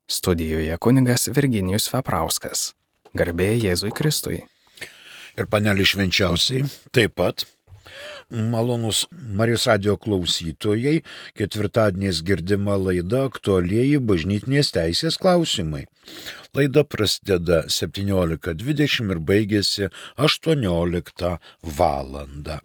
Studijoje kunigas Virginijus Veprauskas. Garbė Jėzui Kristui. Ir panelį švenčiausiai taip pat. Malonus Marijos radijo klausytojai, ketvirtadieniais girdima laida aktualieji bažnytinės teisės klausimai. Laida prasideda 17:20 ir baigėsi 18 valandą.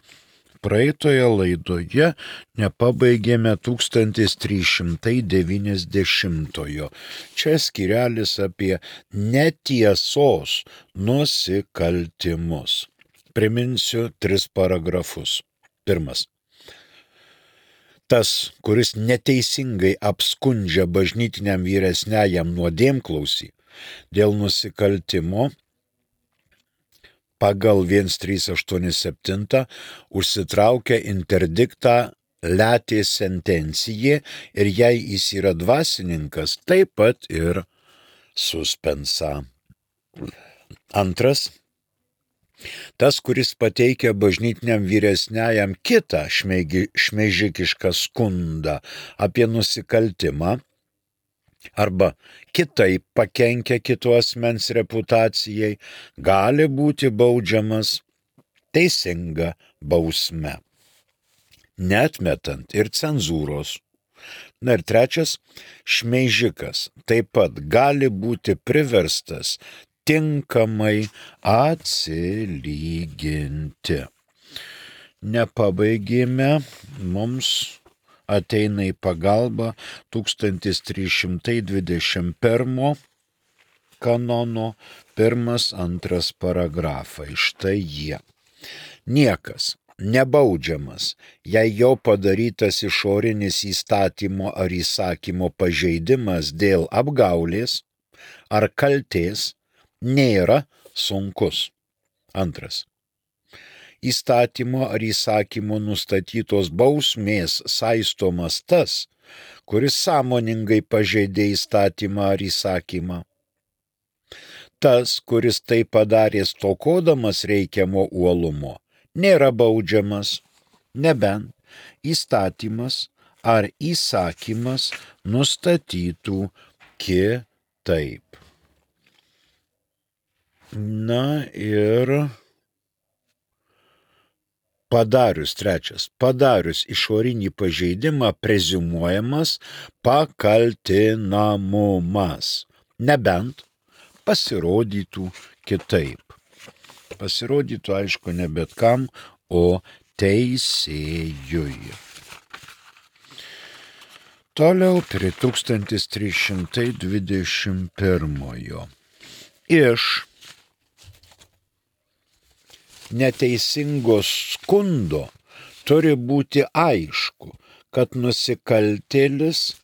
Praeitoje laidoje nepabaigėme 1390. Čia skyrelis apie netiesos nusikaltimus. Priminsiu 3 paragrafus. Pirmas. Tas, kuris neteisingai apskundžia bažnytiniam vyresniajam nuodėmklausį dėl nusikaltimo, pagal 1387 užsitraukia interdiktą letė sentencijė ir jei jis yra dvasininkas, taip pat ir suspensą. Antras. Tas, kuris pateikia bažnytiniam vyresniajam kitą šmeižikišką skundą apie nusikaltimą arba kitaip pakenkia kito asmens reputacijai, gali būti baudžiamas teisinga bausme, neatmetant ir cenzūros. Na ir trečias, šmeižikas taip pat gali būti priverstas tinkamai atsilyginti. Nepabaigėme, mums ateina į pagalbą 1321 kanono 1-2 paragrafai. Štai jie. Niekas nebaudžiamas, jei jo padarytas išorinis įstatymo ar įsakymo pažeidimas dėl apgaulės ar kaltės nėra sunkus. Antras. Įstatymo ar įsakymo nustatytos bausmės saistomas tas, kuris sąmoningai pažeidė įstatymą ar įsakymą. Tas, kuris tai padarė stokodamas reikiamo uolumo, nėra baudžiamas, nebent įstatymas ar įsakymas nustatytų kitaip. Na ir padarius išorinį pažeidimą preziumuojamas pakaltinamumas, nebent pasirodytų kitaip. Pasirodytų, aišku, ne bet kam, o teisėjui. Toliau prie 1321. Iš neteisingos skundo turi būti aišku, kad nusikaltėlis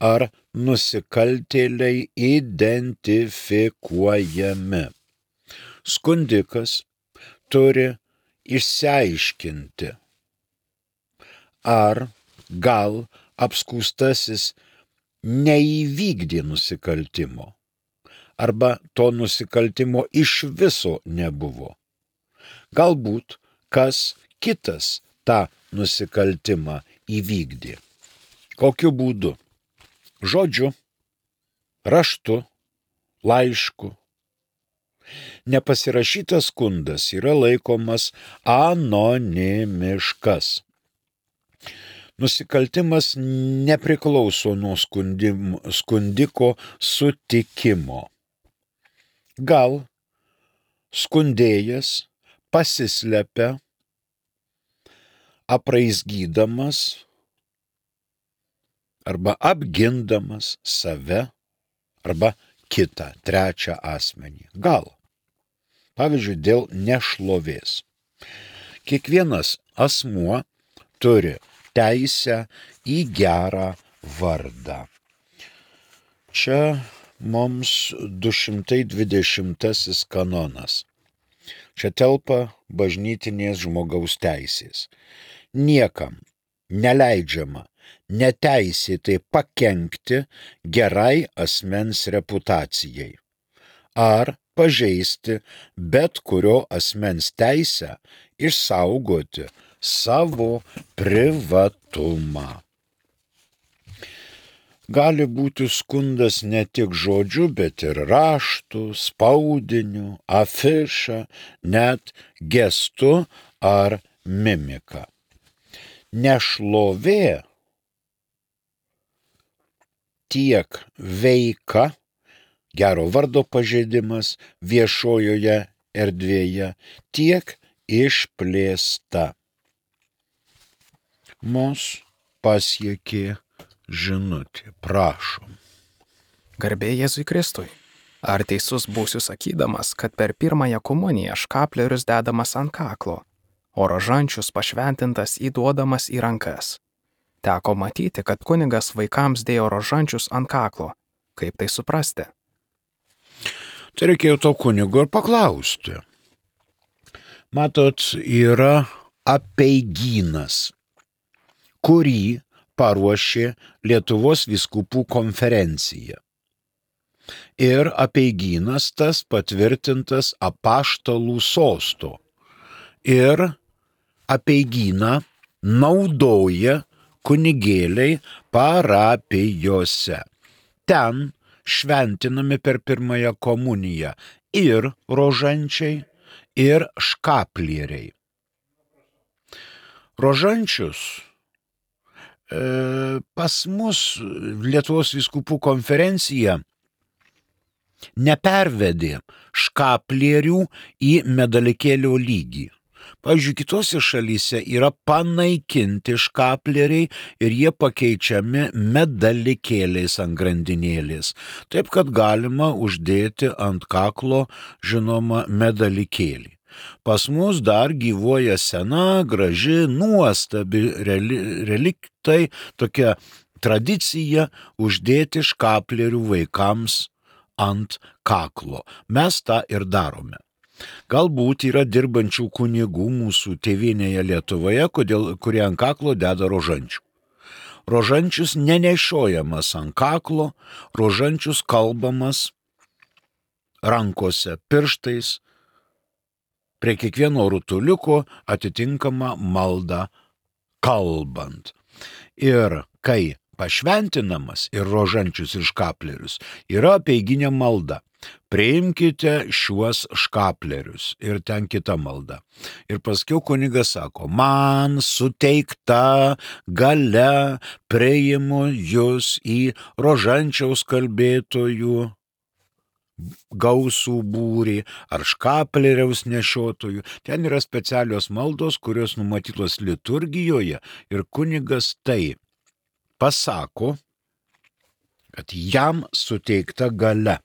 ar nusikaltėliai identifikuojami. Skundikas turi išsiaiškinti, ar gal apskųstasis neįvykdė nusikaltimo, arba to nusikaltimo iš viso nebuvo. Galbūt kas kitas tą nusikaltimą įvykdė. Kokiu būdu? Žodžiu, raštu, laišku. Nepasirašytas skundas yra laikomas anonimiškas. Nusikaltimas nepriklauso nuo skundiko sutikimo. Gal skundėjas pasislepia, apraizgydamas arba apgindamas save arba kitą, trečią asmenį. Gal. Pavyzdžiui, dėl nešlovės. Kiekvienas asmuo turi teisę į gerą vardą. Čia mums 220 kanonas. Čia telpa bažnytinės žmogaus teisės. Niekam neleidžiama neteisėtai pakenkti gerai asmens reputacijai ar pažeisti bet kurio asmens teisę išsaugoti savo privatumą. Gali būti skundas ne tik žodžiu, bet ir raštu, spaudiniu, afiša, net gestu ar mimika. Nešlovė tiek veika, gero vardo pažeidimas viešojoje erdvėje, tiek išplėsta. Mus pasiekė žinutė, prašom. Garbė Jėzui Kristui. Ar teisus būsiu sakydamas, kad per pirmąją komuniją škaplerius dedamas ant kaklo, o rožančius pašventintas įduodamas į rankas? Teko matyti, kad kunigas vaikams dėjo rožančius ant kaklo. Kaip tai suprasti? Tai reikėjo to kunigo ir paklausti. Matot, yra apeigynas, kurį paruošė Lietuvos vyskupų konferencija. Ir apeigynas tas patvirtintas apaštalų sosto. Ir apeigyną naudoja kunigėliai parapijose. Ten šventinami per pirmąją komuniją ir rožančiai, ir škaplieriai. Rožančius pas mus Lietuvos vyskupų konferencija nepervedė škaplierių į medalikėlio lygį. Pavyzdžiui, kitose šalyse yra panaikinti škaplieriai ir jie pakeičiami medalikėliais ant grandinėlės. Taip, kad galima uždėti ant kaklo, žinoma, medalikėlį. Pas mus dar gyvuoja sena, graži, nuostabi reliktai, tokia tradicija uždėti škaplierių vaikams ant kaklo. Mes tą ir darome. Galbūt yra dirbančių kunigų mūsų tėvynėje Lietuvoje, kurie ant kaklo deda rožančių. Rožančius nenešiojamas ant kaklo, rožančius kalbamas rankose, pirštais, prie kiekvieno rutuliuko atitinkama malda kalbant. Ir kai pašventinamas ir rožančius ir škaplerius, yra apeiginė malda. Priimkite šiuos škaplerius ir ten kita malda. Ir paskiau kunigas sako, man suteikta galia priimu jūs į rožančiaus kalbėtojų gausų būrį ar škapleriaus nešiotojų. Ten yra specialios maldos, kurios numatytos liturgijoje ir kunigas tai pasako, kad jam suteikta galia.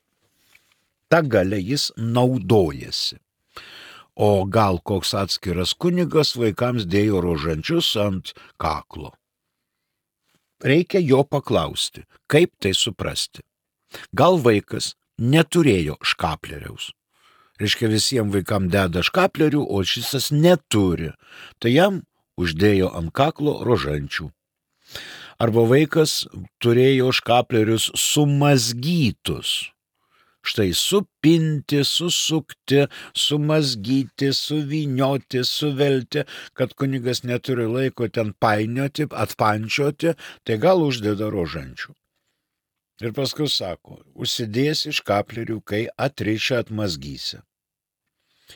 Ta galia jis naudojasi. O gal koks atskiras kunigas vaikams dėjo rožančius ant kaklo. Reikia jo paklausti, kaip tai suprasti. Gal vaikas neturėjo škapleriaus. Reiškia, visiems vaikams deda škaplerių, o šis neturi. Tai jam uždėjo ant kaklo rožančių. Arba vaikas turėjo škaplerius sumazgytus. Štai supinti, susukti, sumazgyti, suvynioti, suvelti, kad kunigas neturi laiko ten painioti, atpančioti, tai gal uždeda rožančių. Ir paskui sako, užsidėsi škaplerių, kai atrišę atmazgysi.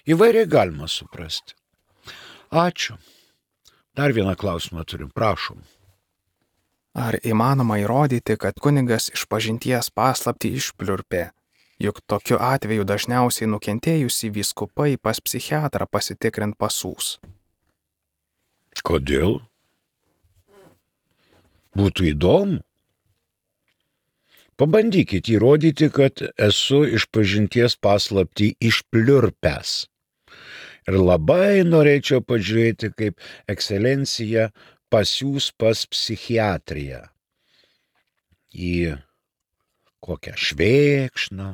Įvairiai galima suprasti. Ačiū. Dar vieną klausimą turim, prašom. Ar įmanoma įrodyti, kad kunigas išpažinties paslaptį išpliurpė? Juk tokiu atveju dažniausiai nukentėjusi vyskupai pas psichiatrą pasitikrint pasūs. Kodėl? Būtų įdomu. Pabandykit įrodyti, kad esu išpažinties paslaptį išpliurpęs. Ir labai norėčiau pažiūrėti, kaip ekscelencija pasiūs pas psichiatriją. Į kokią Švėkšną,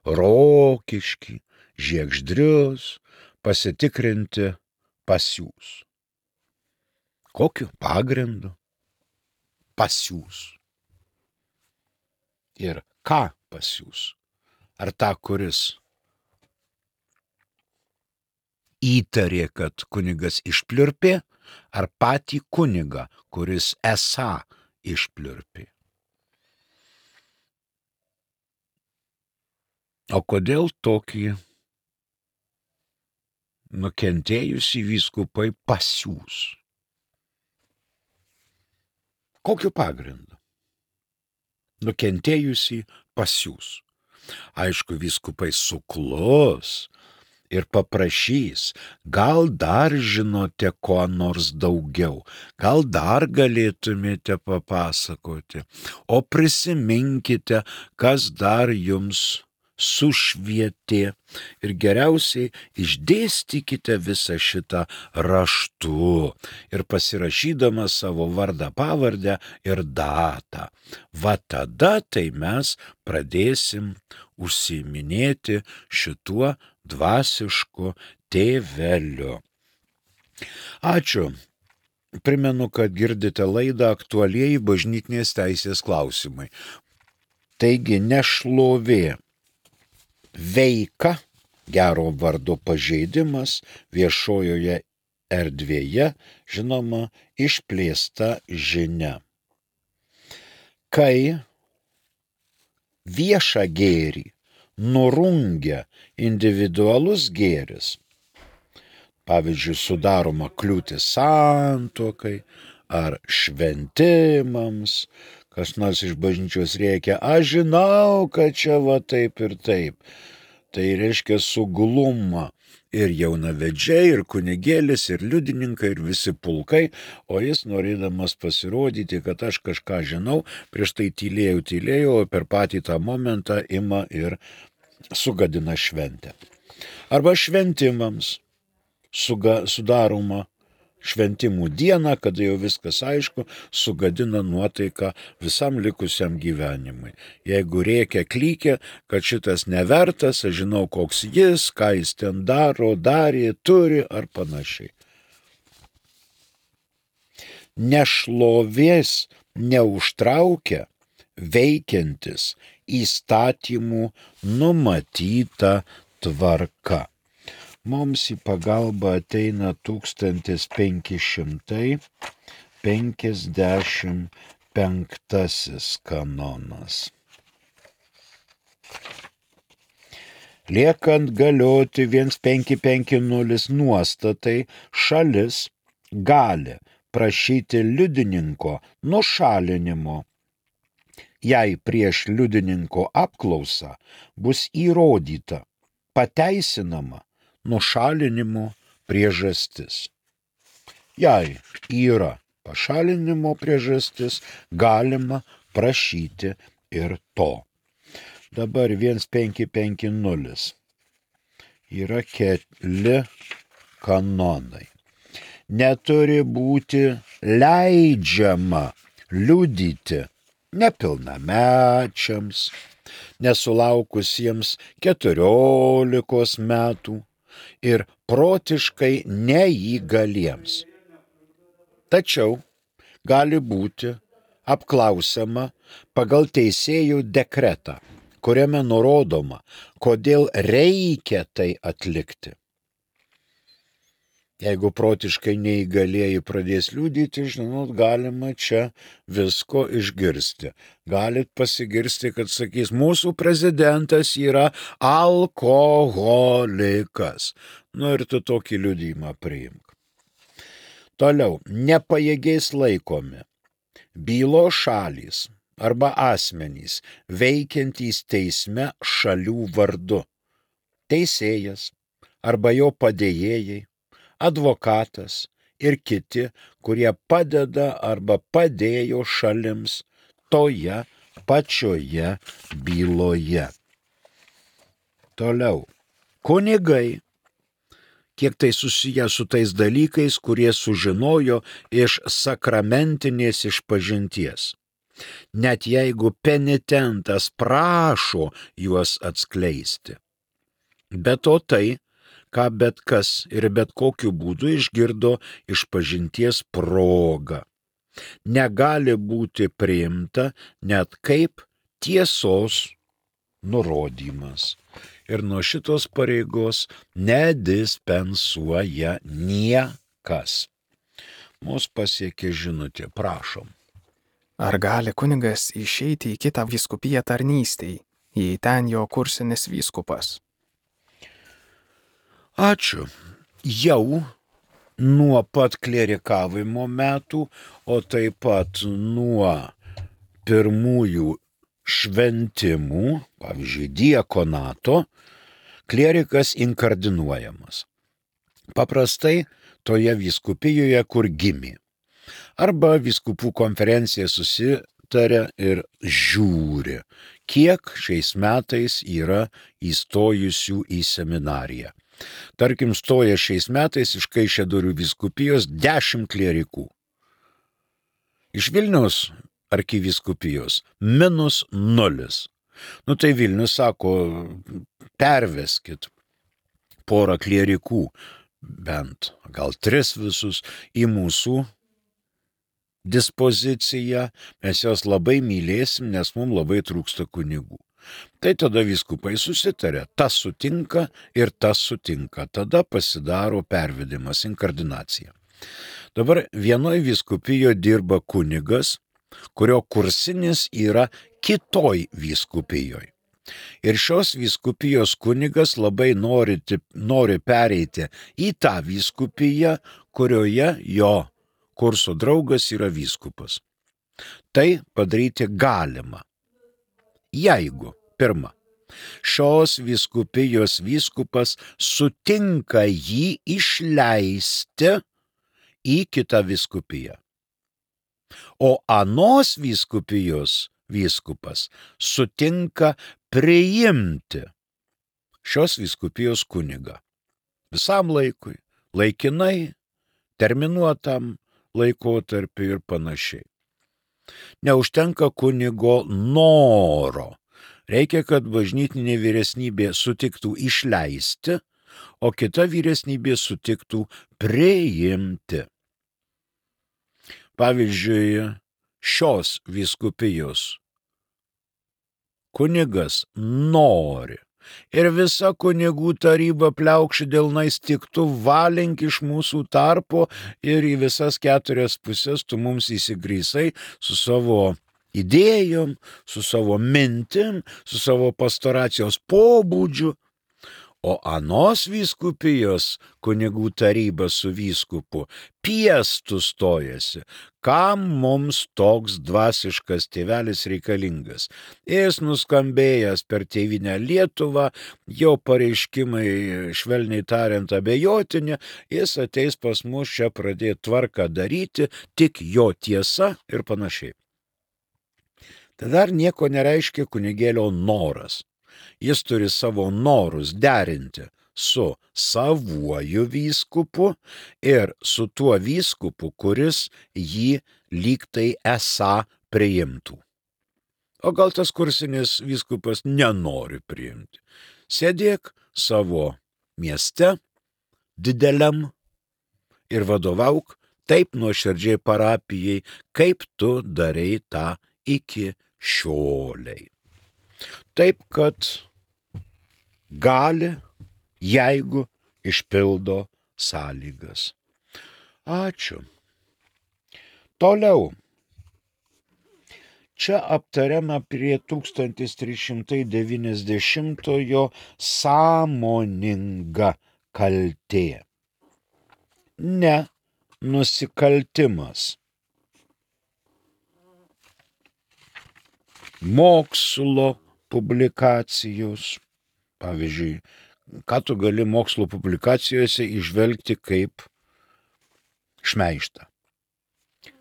Rokiškį, Žiegždrius, pasitikrinti pasiūs. Kokiu pagrindu pasiūs? Ir ką pasiūs? Ar tą, kuris įtarė, kad kunigas išpliurpė, ar patį kunigą, kuris esą išpliurpė? O kodėl tokį nukentėjusį vyskupai pasiūs? Kokiu pagrindu? Nukentėjusį pasiūs. Aišku, vyskupai suklus ir paprašys, gal dar žinote ko nors daugiau, gal dar galėtumėte papasakoti, o prisiminkite, kas dar jums sušvietė ir geriausiai išdėstykite visą šitą raštu ir pasirašydama savo vardą, pavardę ir datą. Va tada tai mes pradėsim užsiiminėti šituo dvasišku tėveliu. Ačiū. Primenu, kad girdite laidą Aktualieji bažnytinės teisės klausimai. Taigi nešlovė, veika, gero vardo pažeidimas viešojoje erdvėje, žinoma, išplėsta žinia. Kai viešą gėrį nurungia individualus gėris, pavyzdžiui, sudaroma kliūtis santuokai ar šventimams, kas nors iš bažnyčios rėkia, aš žinau, kad čia va taip ir taip. Tai reiškia suglumą ir jaunavedžiai, ir kunigėlis, ir liudininkai, ir visi pulkai, o jis norėdamas pasirodyti, kad aš kažką žinau, prieš tai tylėjau, o per patį tą momentą ima ir sugadina šventę. Arba šventimams sudaroma šventimų dieną, kada jau viskas aišku, sugadina nuotaiką visam likusiam gyvenimui. Jeigu rėkia klykia, kad šitas nevertas, aš žinau, koks jis, ką jis ten daro, darė, turi ar panašiai. Nešlovės neužtraukia veikiantis įstatymų numatyta tvarka. Mums į pagalbą ateina 1555 kanonas. Liekant galioti 1550 nuostatai, šalis gali prašyti liudininko nušalinimo, jei prieš liudininko apklausą bus įrodyta pateisinama nušalinimo priežastis. Jei yra pašalinimo priežastis, galima prašyti ir to. Dabar 1550 yra keli kanonai. Neturi būti leidžiama liudyti nepilnamečiams, nesulaukusiems 14 metų ir protiškai neįgaliems. Tačiau gali būti apklausiama pagal teisėjų dekretą, kuriame nurodoma, kodėl reikia tai atlikti. Jeigu protiškai neįgalieji pradės liudyti, žinot, galima čia visko išgirsti. Galit pasigirsti, kad sakys, mūsų prezidentas yra alkoholikas. Nu ir tu tokį liudijimą priimk. Toliau, nepajėgiais laikomi bylos šalys arba asmenys veikiantys teisme šalių vardu. Teisėjas arba jo padėjėjai, advokatas ir kiti, kurie padeda arba padėjo šalims toje pačioje byloje. Toliau, kunigai, kiek tai susiję su tais dalykais, kurie sužinojo iš sakramentinės išpažinties. Net jeigu penitentas prašo juos atskleisti. Be to tai, ką bet kas ir bet kokiu būdu išgirdo išpažinties proga, negali būti priimta net kaip tiesos nurodymas. Ir nuo šitos pareigos nedispensuoja niekas. Mus pasiekė žinutė, prašom. Ar gali kunigas išeiti į kitą vyskupiją tarnystei, jei ten jo kursinis vyskupas. Ačiū. Jau nuo pat klerikavimo metų, o taip pat nuo pirmųjų šventimų, pavyzdžiui, diakonato, klerikas inkardinuojamas. Paprastai toje vyskupijoje, kur gimė. Arba vyskupų konferencija susitaria ir žiūri, kiek šiais metais yra įstojusių į seminariją. Tarkim, stoja šiais metais iš Kaišiadorių vyskupijos 10 klerikų. Iš Vilniaus arkivyskupijos -0. Tai Vilnius sako, perveskit porą klerikų, bent gal 3 visus, į mūsų dispoziciją, mes jos labai mylėsim, nes mums labai trūksta kunigų. Tai tada vyskupai susitarė, tas sutinka ir tas sutinka, tada pasidaro pervedimas, inkardinacija. Dabar vienoje vyskupijoje dirba kunigas, kurio kursinis yra kitoj vyskupijoje. Ir šios vyskupijos kunigas labai nori pereiti į tą vyskupiją, kurioje jo kurso draugas yra vyskupas. Tai padaryti galima, jeigu, pirma, šios vyskupijos vyskupas sutinka jį išleisti į kitą vyskupiją. O anos vyskupijos vyskupas sutinka priimti šios vyskupijos kunigą. Visam laikui, laikinai, terminuotam laikotarpiu ir panašiai. Neužtenka kunigo noro. Reikia, kad bažnytinė vyresnybė sutiktų išleisti, o kita vyresnybė sutiktų priimti. Pavyzdžiui, šios vyskupijos kunigas nori ir visa kunigų taryba pliaukši delnais tiktų valink iš mūsų tarpo ir į visas 4 pusės tu mums įsigrysai su savo idėjom, su savo mintim, su savo pastoracijos pobūdžiu. O anos vyskupijos kunigų taryba su vyskupu piestų stojasi, kam mums toks dvasiškas tėvelis reikalingas. Jis nuskambėjęs per Tėvynę Lietuvą, jo pareiškimai, švelniai tariant, abejotini, jis ateis pas mus čia pradėti tvarką daryti, tik jo tiesa ir panašiai. Tai dar nieko nereiškia kunigėlio noras. Jis turi savo norus derinti su savuoju vyskupu ir su tuo vyskupu, kuris jį lygtai esą priimtų. O gal tas kursinis vyskupas nenori priimti. Sėdėk savo mieste, dideliam, ir vadovauk taip nuoširdžiai parapijai, kaip tu darei tą iki šioliai. Taip, kad gali, jeigu išpildo sąlygas. Ačiū. Toliau. Čia aptariama prie 1390-ojo sąmoninga kaltė. Ne nusikaltimas. Mokslo publikacijos. Pavyzdžiui, ką tu gali mokslo publikacijose įžvelgti kaip šmeižtą?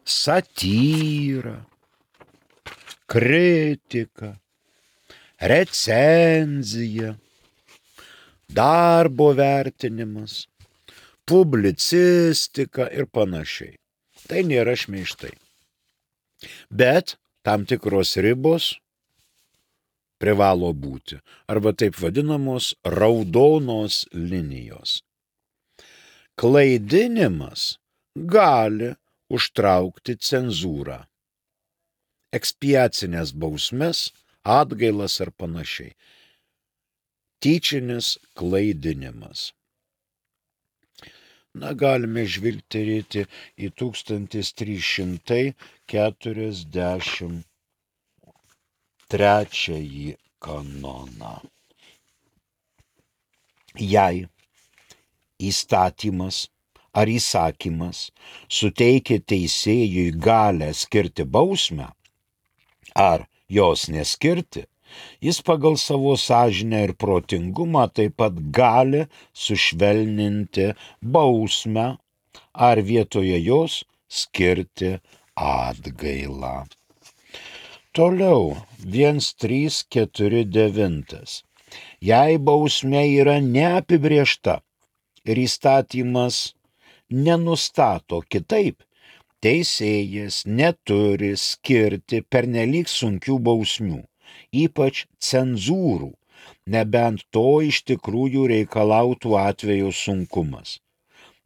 Satyra, kritika, recenzija, darbo vertinimas, publicistika ir panašiai. Tai nėra šmeižtai. Bet tam tikros ribos privalo būti, arba taip vadinamos raudonos linijos. Klaidinimas gali užtraukti cenzūrą, ekspiacinės bausmes, atgailas ar panašiai. Tyčinis klaidinimas. Galime žvilgterėti į 1343 kanoną. Jei įstatymas ar įsakymas suteikia teisėjui galę skirti bausmę ar jos neskirti, jis pagal savo sąžinę ir protingumą taip pat gali sušvelninti bausmę ar vietoje jos skirti atgailą. Toliau 1.3.4.9. Jei bausmė yra neapibrėžta ir įstatymas nenustato kitaip, teisėjas neturi skirti pernelyg sunkių bausmių, ypač cenzūrų, nebent to iš tikrųjų reikalautų atvejo sunkumas.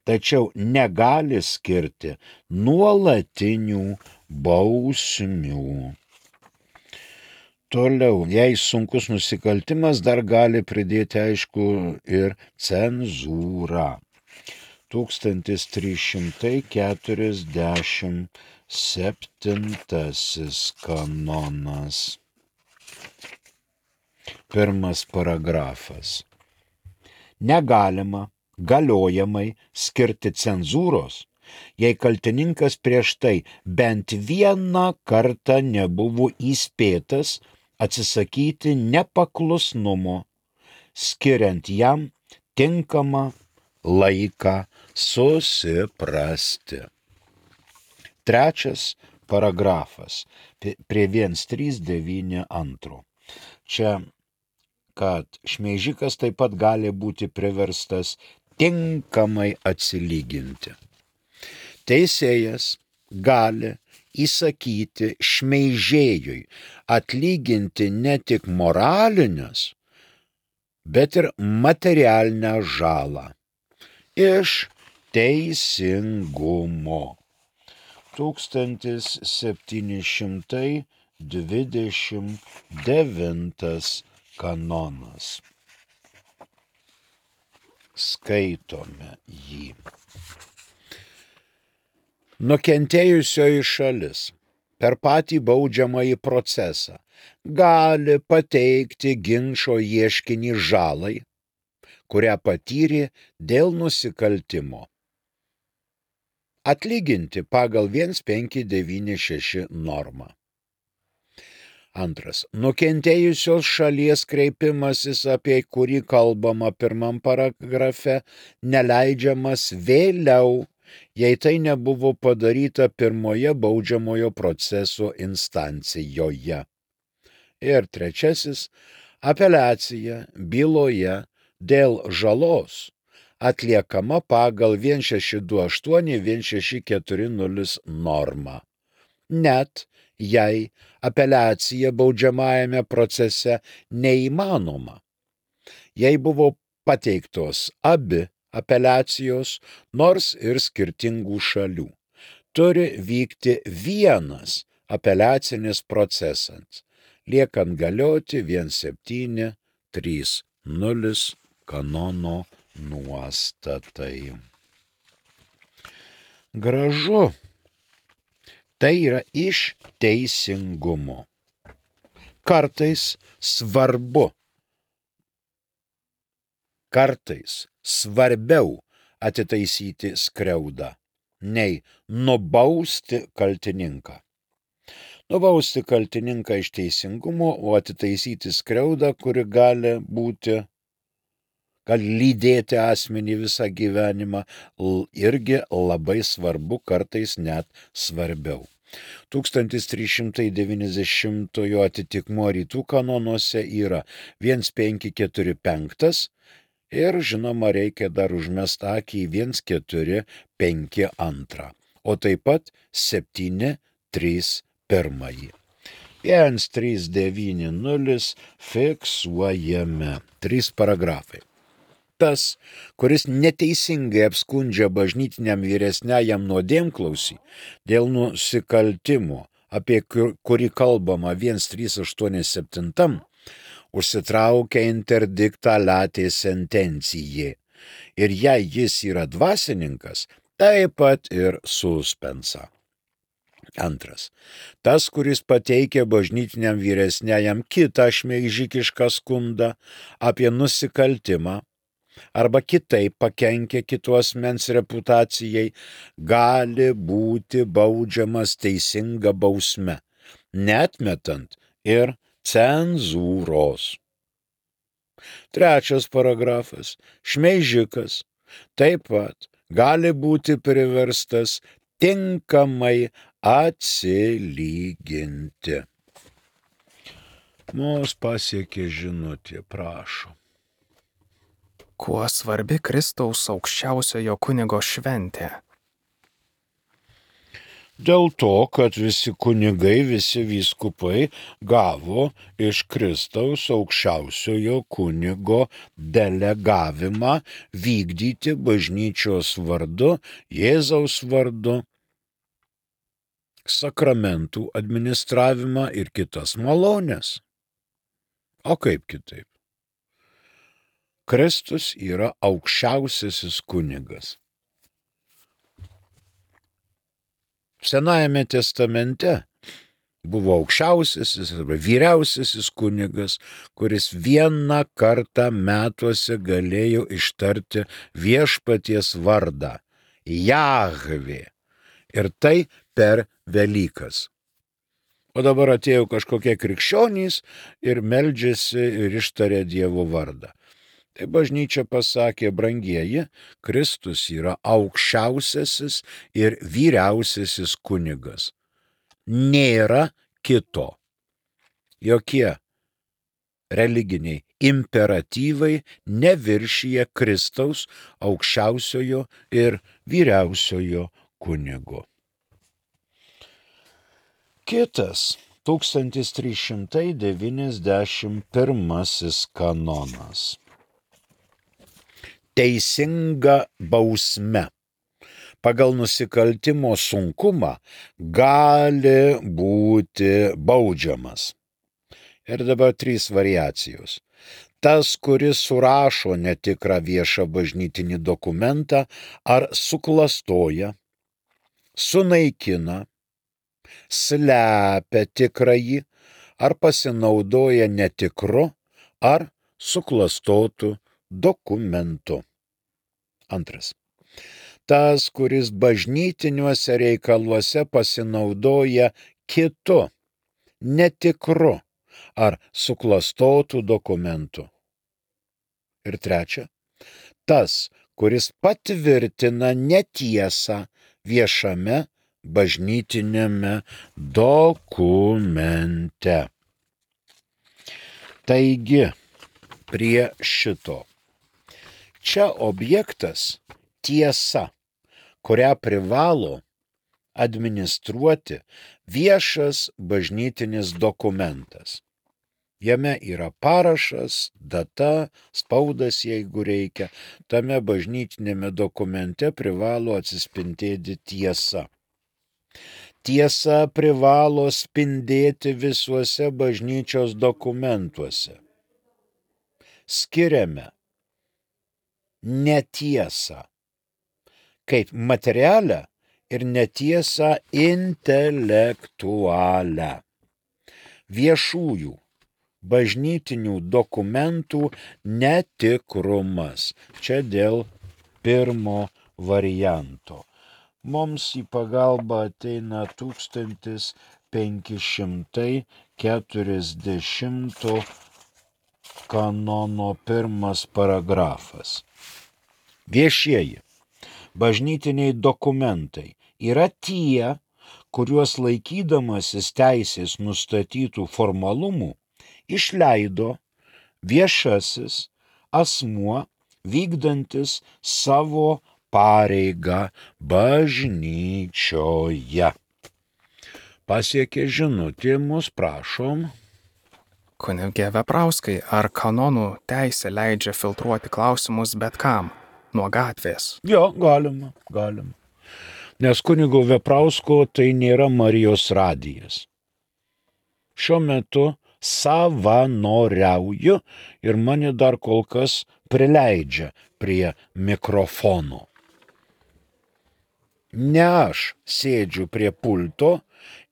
Tačiau negali skirti nuolatinių bausmių. Toliau, jei sunkus nusikaltimas, dar gali pridėti, aišku, ir cenzūrą. 1347 kanonas. Pirmas paragrafas. Negalima galiojamai skirti cenzūros, jei kaltininkas prieš tai bent vieną kartą nebuvo įspėtas atsisakyti nepaklusnumo, skiriant jam tinkamą laiką susiprasti. Trečias paragrafas prie 1.3.9.2. Čia, kad šmeižikas taip pat gali būti priverstas tinkamai atsilyginti. Teisėjas gali įsakyti šmeižėjui atlyginti ne tik moralinės, bet ir materialinę žalą iš teisingumo. 1729 kanonas. Skaitome jį. Nukentėjusioji šalis per patį baudžiamąjį procesą gali pateikti ginčo ieškinį žalai, kurią patyrė dėl nusikaltimo, atlyginti pagal 1596 normą. Antras. Nukentėjusios šalies kreipimasis, apie kurį kalbama pirmam paragrafe, neleidžiamas vėliau, jei tai nebuvo padaryta pirmoje baudžiamojo proceso instancijoje. Ir trečiasis. Apeliacija byloje dėl žalos atliekama pagal 1628-1640 normą. Net jei apeliacija baudžiamajame procese neįmanoma. Jei buvo pateiktos abi apeliacijos, nors ir skirtingų šalių, turi vykti vienas apeliacinis procesas, liekant galioti 1730 kanono nuostatai. Gražu. Tai yra iš teisingumo. Kartais svarbiau atitaisyti skriaudą, nei nubausti kaltininką. Nubausti kaltininką iš teisingumo, o atitaisyti skriaudą, kuri gali lydėti asmenį visą gyvenimą, irgi labai svarbu, kartais net svarbiau. 1390 atitikmuo rytų kanonuose yra 1545 ir, žinoma, reikia dar užmesti akį į 1452, o taip pat 731. 1390 fiksuojame 3 paragrafai. Tas, kuris neteisingai apskundžia bažnytiniam vyresniajam nuodėmklausį dėl nusikaltimo, apie kurį kalbama 1387, užsitraukia interdiktą latė sentencijai. Ir jei jis yra dvasininkas, taip pat ir suspensą. Antras. Tas, kuris pateikia bažnytiniam vyresniajam kitą šmeižikišką skundą apie nusikaltimą arba kitaip pakenkia kitos asmens reputacijai, gali būti baudžiamas teisinga bausme, neatmetant ir cenzūros. Trečias paragrafas. Šmeižikas taip pat gali būti priverstas tinkamai atsilyginti. Mus pasiekė žinutė, prašom. Kuo svarbi Kristaus aukščiausiojo kunigo šventė? Dėl to, kad visi kunigai, visi vyskupai gavo iš Kristaus aukščiausiojo kunigo delegavimą vykdyti bažnyčios vardu, Jėzaus vardu, sakramentų administravimą ir kitas malonės. O kaip kitaip? Kristus yra aukščiausiasis kunigas. Senajame testamente buvo aukščiausiasis arba vyriausiasis kunigas, kuris vieną kartą metuose galėjo ištarti viešpaties vardą Jahvė. Ir tai per Velykas. O dabar atėjo kažkokie krikščionys ir meldžiasi ir ištarė Dievo vardą. Tai bažnyčia pasakė, brangieji, Kristus yra aukščiausiasis ir vyriausiasis kunigas. Nėra kito. Jokie religiniai imperatyvai neviršyje Kristaus aukščiausiojo ir vyriausiojo kunigo. Kitas 1391 kanonas. Teisinga bausme pagal nusikaltimo sunkumą gali būti baudžiamas. Ir dabar 3 variacijos. Tas, kuris surašo netikrą viešą bažnytinį dokumentą ar suklastoja, sunaikina, slepia tikrąjį ar pasinaudoja netikru ar suklastotu dokumentu. Antras. Tas, kuris bažnytiniuose reikaluose pasinaudoja kitu, netikru ar suklastotu dokumentu. Ir trečia. Tas, kuris patvirtina netiesą viešame bažnytinėme dokumente. Taigi, prie šito. Čia objektas tiesa, kurią privalo administruoti viešas bažnytinis dokumentas. Jame yra parašas, data, spaudas, jeigu reikia. Tame bažnytinėme dokumente privalo atsispindėti tiesa. Tiesa privalo spindėti visuose bažnyčios dokumentuose. Skiriame netiesą kaip materialią ir netiesą intelektualią. Viešųjų bažnytinių dokumentų netikrumas. Čia dėl pirmo varianto. Mums į pagalbą ateina 1540 kanono 1 paragrafas. Viešieji bažnytiniai dokumentai yra tie, kuriuos laikydamasis teisės nustatytų formalumų išleido viešasis asmuo vykdantis savo pareigą bažnyčioje. Pasiekė žinutė, mus prašom. Kunige Veprauskai, ar kanonų teisė leidžia filtruoti klausimus bet kam, nuo gatvės? Jo, galima. Nes kunigo Veprausko tai nėra Marijos radijas. Šiuo metu savanoriauju ir mane dar kol kas prileidžia prie mikrofono. Ne aš sėdžiu prie pulto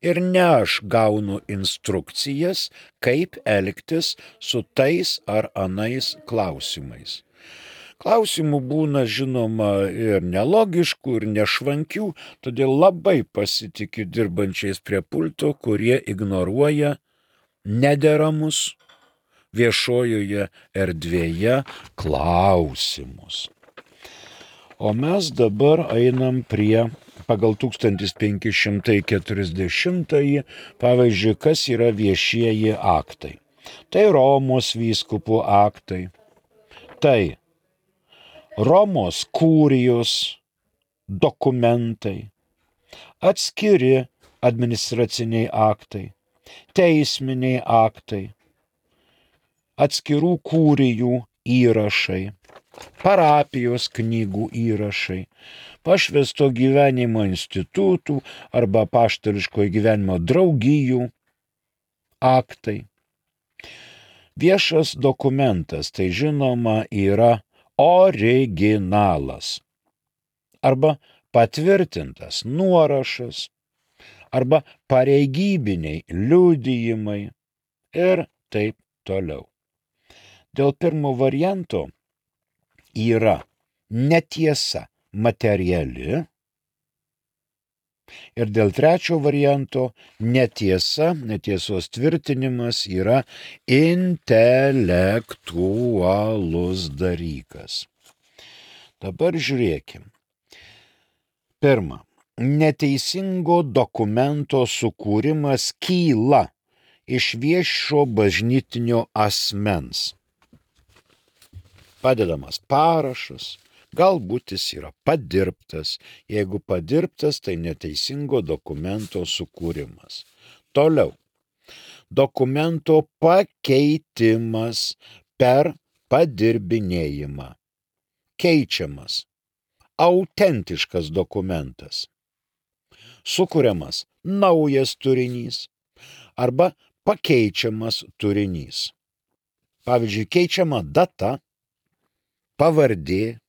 ir ne aš gaunu instrukcijas, kaip elgtis su tais ar anais klausimais. Klausimų būna, žinoma, ir nelogiškų, ir nešvankių, todėl labai pasitikiu dirbančiais prie pulto, kurie ignoruoja nederamus viešojoje erdvėje klausimus. O mes dabar einam prie pagal 1540, pavyzdžiui, kas yra viešieji aktai. Tai Romos vyskupų aktai, tai Romos kurijos dokumentai, atskiri administraciniai aktai, teisminiai aktai, atskirų kurijų įrašai, parapijos knygų įrašai, pašvęsto gyvenimo institutų arba apaštališkojo gyvenimo draugijų aktai. Viešas dokumentas, tai žinoma, yra originalas arba patvirtintas nuorašas arba pareigybiniai liudijimai ir taip toliau. Dėl pirmo varianto yra netiesa materiali ir dėl trečio varianto netiesos tvirtinimas yra intelektualus dalykas. Dabar žiūrėkim. Pirma, neteisingo dokumento sukūrimas kyla iš viešo bažnytinio asmens. Padedamas parašas, galbūt jis yra padirbtas. Jeigu padirbtas, tai neteisingo dokumento sukūrimas. Toliau. Dokumento pakeitimas per padirbinėjimą. Keičiamas. Autentiškas dokumentas. Sukuriamas naujas turinys arba pakeičiamas turinys. Pavyzdžiui, keičiama data, pavardė,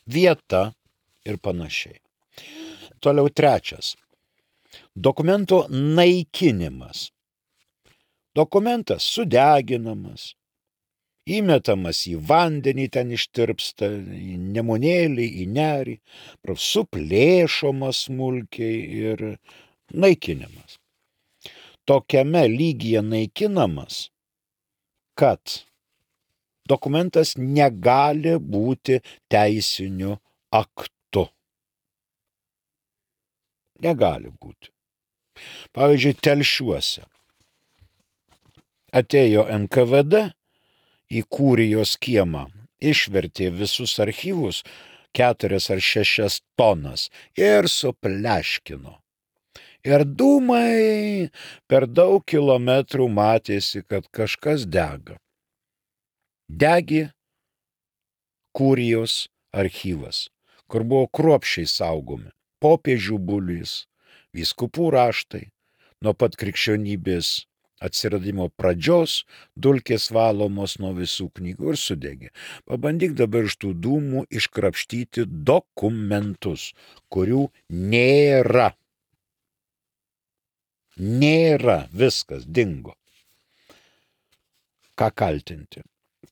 vieta ir panašiai. Toliau trečias. Dokumento naikinimas. Dokumentas sudeginamas, įmetamas į vandenį, ten ištirpsta, į nemunėlį, į nerį, suplėšomas smulkiai ir naikinimas. Tokiame lygyje naikinamas, kad dokumentas negali būti teisiniu aktu. Negali būti. Pavyzdžiui, Telšiuose atėjo NKVD į kurijos kiemą, išvertė visus archyvus 4 ar 6 tonas ir supleškino. Ir dūmai per daug kilometrų matėsi, kad kažkas dega. Degė kurijos archyvas, kur buvo kruopščiai saugomi popiežių bulis, vyskupų raštai, nuo pat krikščionybės atsiradimo pradžios, dulkės valomos nuo visų knygų ir sudegė. Pabandyk dabar iš tų dūmų iškrapštyti dokumentus, kurių nėra. Nėra, viskas dingo. Ką kaltinti?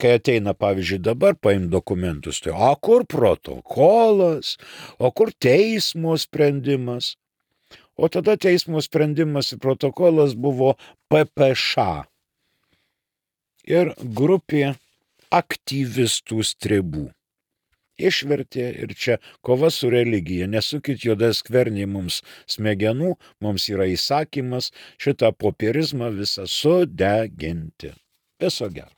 Kai ateina, pavyzdžiui, dabar paim dokumentus, tai o kur protokolas, o kur teismo sprendimas? O tada teismo sprendimas ir protokolas buvo PPŠ ir grupė aktyvistų strebų. Išvertė ir čia kova su religija. Nesukit juodas skvernį mums smegenų, mums yra įsakymas šitą popierizmą visą sudeginti. Viso gero.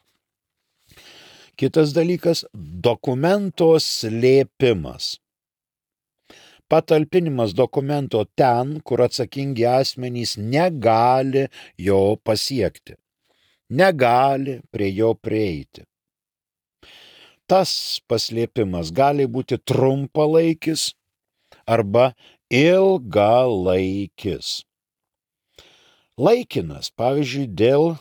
Kitas dalykas – dokumento slėpimas. Patalpinimas dokumento ten, kur atsakingi asmenys negali jo pasiekti, negali prie jo prieiti. Tas paslėpimas gali būti trumpalaikis arba ilgalaikis. Laikinas, pavyzdžiui, dėl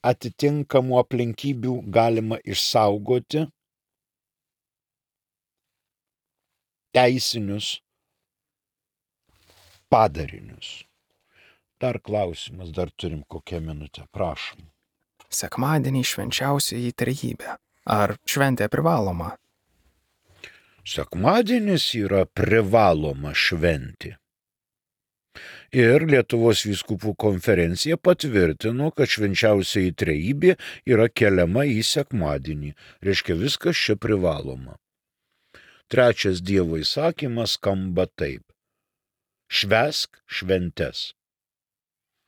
atitinkamų aplinkybių galima išsaugoti teisinius padarinius. Dar klausimas, dar turim kokią minutę, prašom. Sekmadienį švenčiausioji trejybė. Ar šventė privaloma? Sekmadienis yra privaloma šventė. Ir Lietuvos vyskupų konferencija patvirtino, kad švenčiausioji trejybė yra keliama į sekmadienį. Reiškia, viskas čia privaloma. Trečias Dievo įsakymas skamba taip. Švęsk šventes.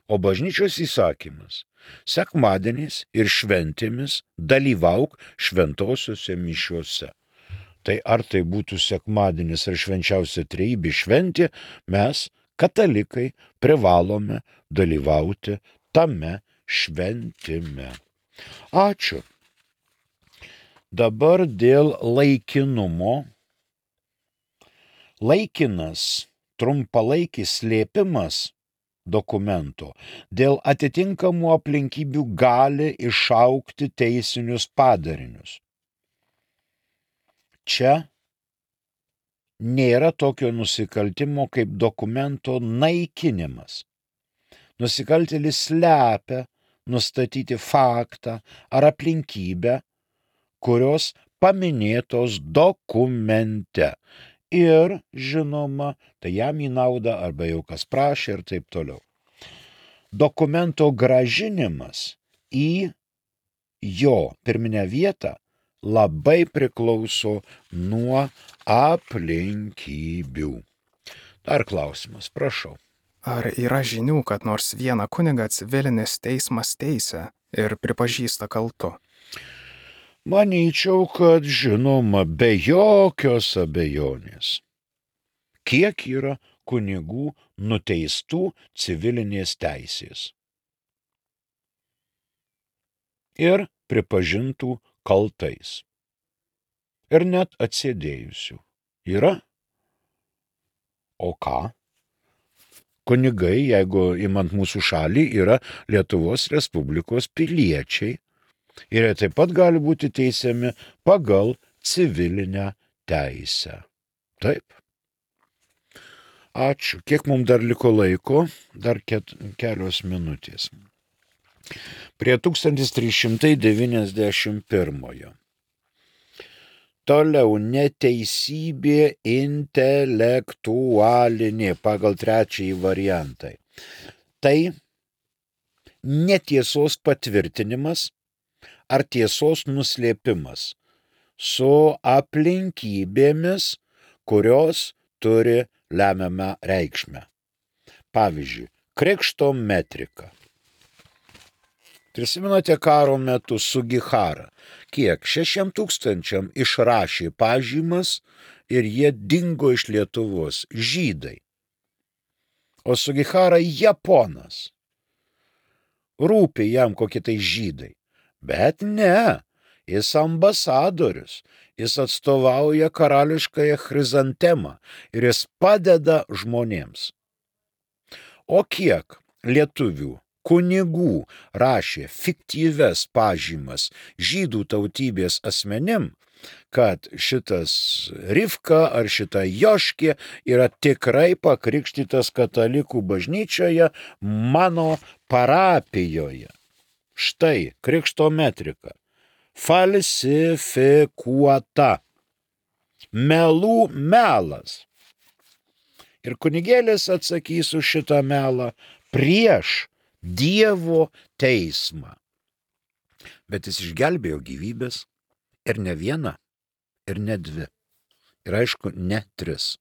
O bažnyčios įsakymas. Sekmadieniais ir šventėmis dalyvauk šventosiuose mišiuose. Tai ar tai būtų sekmadienis ar švenčiausia trejybė šventė, mes, katalikai, privalome dalyvauti tame šventime. Ačiū. Dabar dėl laikinumo. Laikinas, trumpalaikis slėpimas dokumento dėl atitinkamų aplinkybių gali išaukti teisinius padarinius. Čia nėra tokio nusikaltimo kaip dokumento naikinimas. Nusikaltėlis slepia nustatyti faktą ar aplinkybę, kurios paminėtos dokumente. Ir, žinoma, tai jam į naudą arba jau kas prašė ir taip toliau. Dokumento grąžinimas į jo pirminę vietą labai priklauso nuo aplinkybių. Dar klausimas, prašau. Ar yra žinių, kad nors vieną kunigą civilinis teismas teisia ir pripažįsta kaltu? Manyčiau, kad žinoma, be jokios abejonės. Kiek yra kunigų nuteistų civilinės teisės ir pripažintų kaltais. Ir net atsėdėjusių. Yra? O ką? Kunigai, jeigu imant mūsų šalį, yra Lietuvos Respublikos piliečiai. Ir jie taip pat gali būti teisiami pagal civilinę teisę. Taip. Ačiū. Kiek mums dar liko laiko? Dar kelios minutės. Prie 1391. Toliau neteisybė intelektualinė pagal trečiąjį variantą. Tai netiesos patvirtinimas ar tiesos nuslėpimas su aplinkybėmis, kurios turi lemiamą reikšmę. Pavyzdžiui, krikšto metrika. Prisimenate karo metu Sugihara, kiek 600 išrašė pažymas ir jie dingo iš Lietuvos, žydai. O Sugihara japonas. Rūpi jam kokie tai žydai. Bet ne, jis ambasadorius, jis atstovauja karališkąją chrizantemą ir jis padeda žmonėms. O kiek lietuvių kunigų rašė fiktyves pažymas žydų tautybės asmenim, kad šitas Rivka ar šita Joškė yra tikrai pakrikštytas katalikų bažnyčioje mano parapijoje. Štai krikšto metrika. Falsifikuota. Melų melas. Ir kunigėlis atsakys už šitą melą prieš Dievo teismą. Bet jis išgelbėjo gyvybės ir ne vieną, ir ne dvi. Ir aišku, ne 3.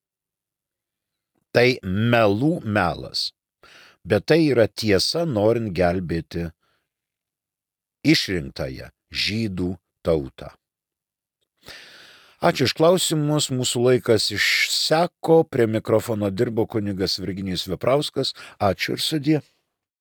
Tai melų melas. Bet tai yra tiesa, norint gelbėti išrinktąją žydų tautą. Ačiū iš klausimus, mūsų laikas išseko, prie mikrofono dirbo kunigas Virginijus Veprauskas. Ačiū ir sudie.